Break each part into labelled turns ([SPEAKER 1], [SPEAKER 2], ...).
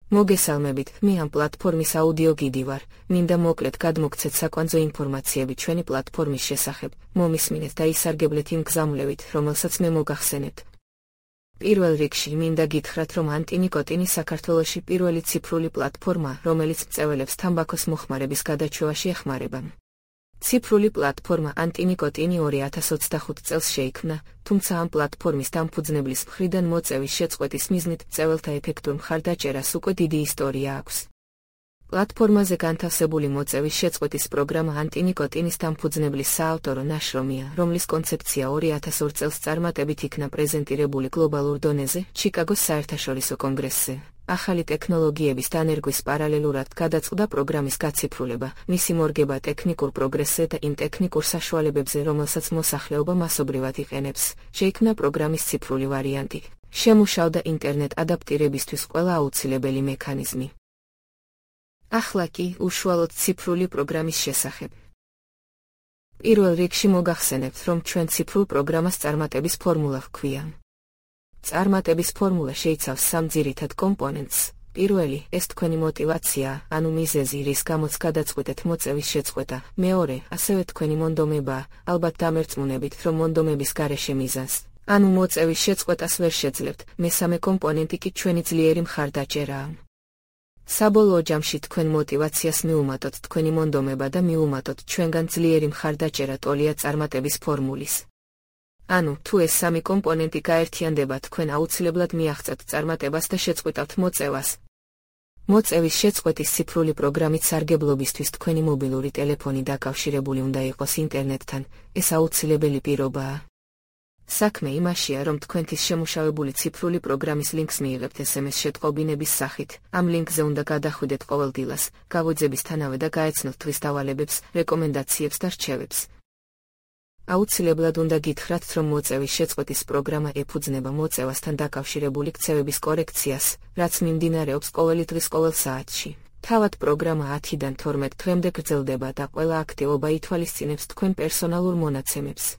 [SPEAKER 1] მოგესალმებით, მე ამ პლატფორმის აუდიო გიდი ვარ. მინდა მოკლედ გადმოგცეთ საკვანძო ინფორმაციები ჩვენი პლატფორმის შესახებ. მომისმინეთ და ისარგებლეთ იმ გზამვლევით, რომელსაც მე მოგახსენებთ. პირველ რიგში მინდა გითხრათ, რომ ანტინიკოტინი საქართველოში პირველი ციფრული პლატფორმაა, რომელიც მწველებს თამბაქოს მოხმარების გადაჩევაში ეხმარება. ციფრული პლატფორმა ანტინიკოტინი 2025 წელს შეიქმნა, თუმცა ამ პლატფორმის დამფუძნებლის მხრიდან მოწევის შეწყვეტის მიზნით მწველთა ეფექტურ მხარდაჭერას უკვე დიდი ისტორია აქვს. პლატფორმაზე განთავსებული მოწევის შეწყვეტის პროგრამა ანტინიკოტინის დამფუძნებლის საავტორო ნაშრომია, რომლის კონცეფცია 2002 წელს წარმატებით იქნა პრეზენტირებული გლობალურ დონეზე, ჩიკაგოს საერთაშორისო კონგრესზე. ახალი ტექნოლოგიების დანერგვის პარალელურად გადაწყდა პროგრამის გაციფრულება, მისი მორგება ტექნიკურ პროგრესზე და იმ ტექნიკურ საშუალებებზე, რომელსაც მოსახლეობა მასობრივად იყენებს. შეიქმნა პროგრამის ციფრული ვარიანტი. შემუშავდა ინტერნეტ ადაპტირებისთვის ყველა აუცილებელი მექანიზმი. ახლა კი უშუალოდ ციფრული პროგრამის შესახებ. პირველ რიგში მოგახსენებთ, რომ ჩვენ ციფრულ პროგრამას წარმატების ფორმულა ჰქვია. წარმატების ფორმულა შეიცავს სამ ძირითად კომპონენტს. პირველი, ეს თქვენი мотиваცია, ანუ მიზეზი, რის გამოც გადაწყვეტეთ მოწევის შეწყვეტა. მეორე, ასევე თქვენი მონდომება, ალბათ დამერწმუნებით, რომ მონდომების გარეშე მიზანს, ანუ მოწევის შეწყვეტას ვერ შეძლებთ. მესამე კომპონენტი კი ჩვენი ძლიერი მხარდაჭერაა. საბოლოო ჯამში თქვენ мотиваციას მიუმატოთ თქვენი მონდომება და მიუმატოთ ჩვენგან ძლიერი მხარდაჭერა ტოლია წარმატების ფორმულის. ანუ, თუ ეს სამი კომპონენტი გაერთიანდება, თქვენ აუცილებლად მიაღწევთ წარმატებას და შეწყვეტავთ მოწევას. მოწევის შეწყვეტის ციფრული პროგრამით სარგებლობისთვის თქვენი მობილური ტელეფონი დაკავშირებული უნდა იყოს ინტერნეტთან, ეს აუცილებელი პირობაა. საქმე იმაშია, რომ თქვენთვის შემუშავებული ციფრული პროგრამის ლინკს მიიღებთ SMS შეტყობინების სახით. ამ ლინკზე უნდა გადახვიდეთ ყოველდღიურად, გავუძებისთანავე და გაეცნოთ თვის დავალებებს, რეკომენდაციებს და რჩევებს. აუცილებლად უნდა გითხრათ, რომ მოწევის შეწყვეტის პროგრამა ეფუძნება მოწევასთან დაკავშირებული ქცევების კორექციას, რაც მიმდინარეობს ყოველი დღის ყოველ საათში. თავად პროგრამა 10-დან 12 დღემდე გრძელდება და ყველა აქტივობა ითვალისწინებს თქვენ პერსონალურ მონაცემებს.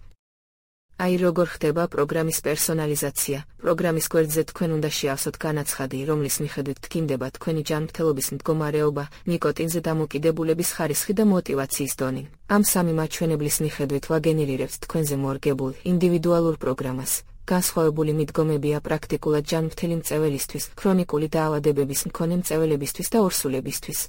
[SPEAKER 1] აი როგორ ხდება პროგრამის პერსონალიზაცია. პროგრამის გვერდზე თქვენ უნდა შეავსოთ განაცხადი, რომლის მიხედვით თქმდება თქვენი ჯანმრთელობის მდგომარეობა, ნიკოტინზე დამოკიდებულების ხარისხი და мотиваციის დონე. ამ სამი მაჩვენებლის მიხედვით ვაგენერირებთ თქვენზე მორგებულ ინდივიდუალურ პროგრამას. განსხვავებული მიდგომებია პრაქტიკულად ჯანმრთელი მწეველისთვის, ქრონიკული დაავადებების მქონე მწეველებისთვის და ორსულებისთვის.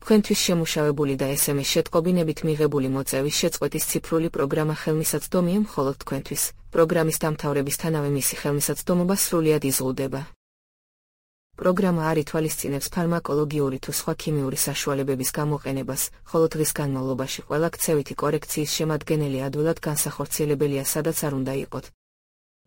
[SPEAKER 1] თქვენთვის შემუშავებული და SMS შეტყობინებით მიღებული მოწევის შეწყვეტის ციფრული პროგრამა ხელმისაწვდომია მხოლოდ თქვენთვის. პროგრამის დამთავრებისთანავე მისი ხელმისაწვდომობა სრულად იზღუდება. პროგრამა არ ითვალისწინებს ფარმაკოლოგიური თუ სხვა ქიმიური საშუალებების გამოყენებას, ხოლო დღის განმავლობაში ყველა ქცევითი კორექციის შემადგენელი ადვილად განსახორციელებელია, სადაც არ უნდა იყოთ.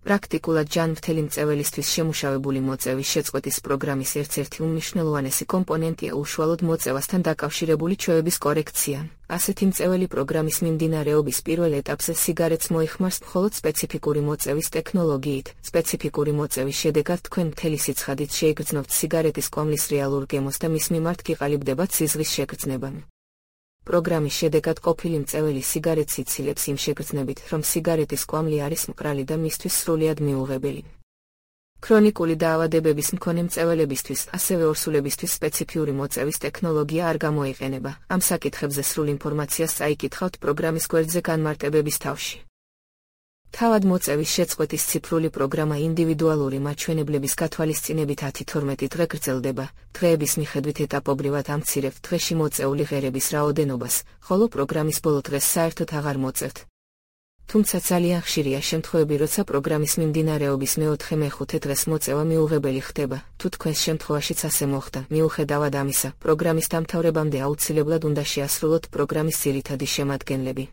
[SPEAKER 1] პრაქტიკულად ჯანმრთელი მწეველისთვის შემუშავებული მოწევის შეწყვეტის პროგრამის ერთ-ერთი უმნიშვნელოვანესი კომპონენტია უშუალოდ მოწევასთან დაკავშირებული ჩვევების კორექცია. ასეთი მწეველი პროგრამის მიმდინარეობის პირველ ეტაპზე სიგარეტს მოიხმარს მხოლოდ სპეციფიკური მოწევის ტექნოლოგიით. სპეციფიკური მოწევის შედეგად თქვენ მთელი სიცხადით შეიგრძნობთ სიგარეტის კვამლის რეალურ გემოს და მის მიმართ გიყალიბდებათ სიზღვის შეგრძნება. პროგრამის შედეგად ყოფილი მწეველი სიგარეტს იცილებს იმ შეგრძნებით, რომ სიგარეტის კვამლი არის მყრალი და მისთვის სრულიად მიუღებელი. ქრონიკული დაავადებების მქონე მწეველებისთვის, ასევე ორსულებისთვის სპეციფიური მოწევის ტექნოლოგია არ გამოიყენება. ამ საკითხებზე სრულ ინფორმაციას წაიკითხავთ პროგრამის გვერდზე განმარტებების თავში. თავად მოწევის შეწყვეტის ციფრული პროგრამა ინდივიდუალური მაჩვენებლების გათვალისწინებით 10-12 დღე გრძელდება. დღეების მიხედვით ეტაპობრივად ამცირებთ დღეში მოწეული ღერების რაოდენობას, ხოლო პროგრამის ბოლო დღეს საერთოდ აღარ მოწევთ. თუმცა ძალიან ხშირია შემთხვევები, როცა პროგრამის მიმდინარეობის მეოთხე-მეხუთე დღეს მოწევა მიუღებელი ხდება. თუ თქვენს შემთხვევაშიც ასე მოხდა, მიუხედავად ამისა, პროგრამის დამთავრებამდე აუცილებლად უნდა შეასრულოთ პროგრამის ძირითადი შემადგენლები.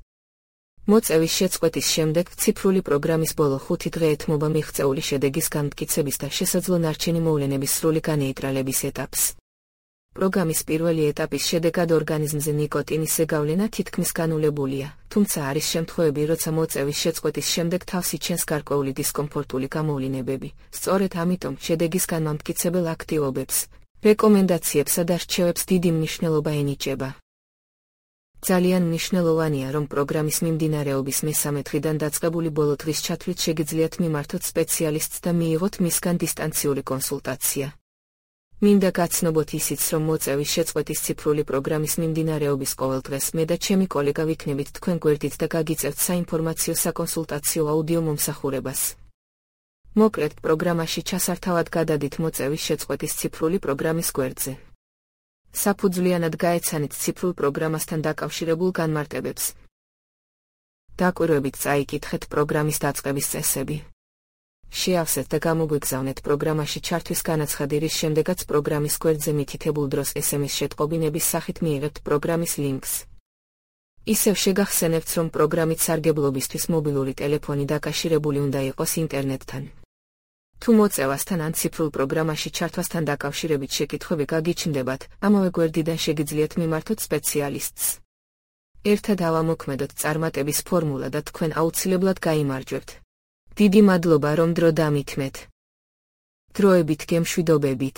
[SPEAKER 1] მოწევის შეწყვეტის შემდეგ ციფრული პროგრამის ბოლო 5 დღე ეთმობა მიღწეული შედეგის განმტკიცების და შესაძლო ნარჩენი მოვლენების სრული განეიტრალების ეტაპს. პროგრამის პირველი ეტაპის შედეგად ორგანიზმზე ნიკოტინის ზეგავლენა თითქმის განულებულია, თუმცა არის შემთხვევები, როცა მოწევის შეწყვეტის შემდეგ თავს იჩენს გარკვეული დისკომფორტული გამოვლინებები. სწორედ ამიტომ შედეგის განმტკიცებელ აქტივობებს, რეკომენდაციებსა და რჩევებს დიდი მნიშვნელობა ენიჭება. ძალიან მნიშვნელოვანია, რომ პროგრამის მიმდინარეობის მესამე დღიდან დაწყებული ბოლო დღის ჩათვლით შეგიძლიათ მიმართოთ სპეციალისტს და მიიღოთ მისგან დისტანციური კონსულტაცია. მინდა გაცნობოთ ისიც, რომ მოწევის შეწყვეტის ციფრული პროგრამის მიმდინარეობის ყოველდღეს მე და ჩემი კოლეგა ვიქნებით თქვენ გვერდით და გაგიწევთ საინფორმაციო საკონსულტაციო აუდიო მომსახურებას. მოკლედ პროგრამაში ჩასართავად გადადით მოწევის შეწყვეტის ციფრული პროგრამის გვერდზე. საფუძვლიანად გაეცანით ციფრულ პროგრამასთან დაკავშირებულ განმარტებებს. დაკვირვებით წაიკითხეთ პროგრამის დაწყების წესები. შეავსეთ და გამოგვიგზავნეთ პროგრამაში ჩართვის განაცხადი, რის შემდეგაც პროგრამის გვერდზე მითითებულ დროს SMS შეტყობინების სახით მიიღებთ პროგრამის ლინკს. ისევ შეგახსენებთ, რომ პროგრამით სარგებლობისთვის მობილური ტელეფონი დაკავშირებული უნდა იყოს ინტერნეტთან. თუ მოწევასთან ან ციფრულ პროგრამაში ჩართვასთან დაკავშირებით შეკითხვები გაგიჩნდებათ, ამავე გვერდიდან შეგიძლიათ მიმართოთ სპეციალისტს. ერთად ავამოქმედოთ წარმატების ფორმულა და თქვენ აუცილებლად გაიმარჯვებთ. დიდი მადლობა, რომ დრო დამითმეთ. დროებით გემშვიდობებით.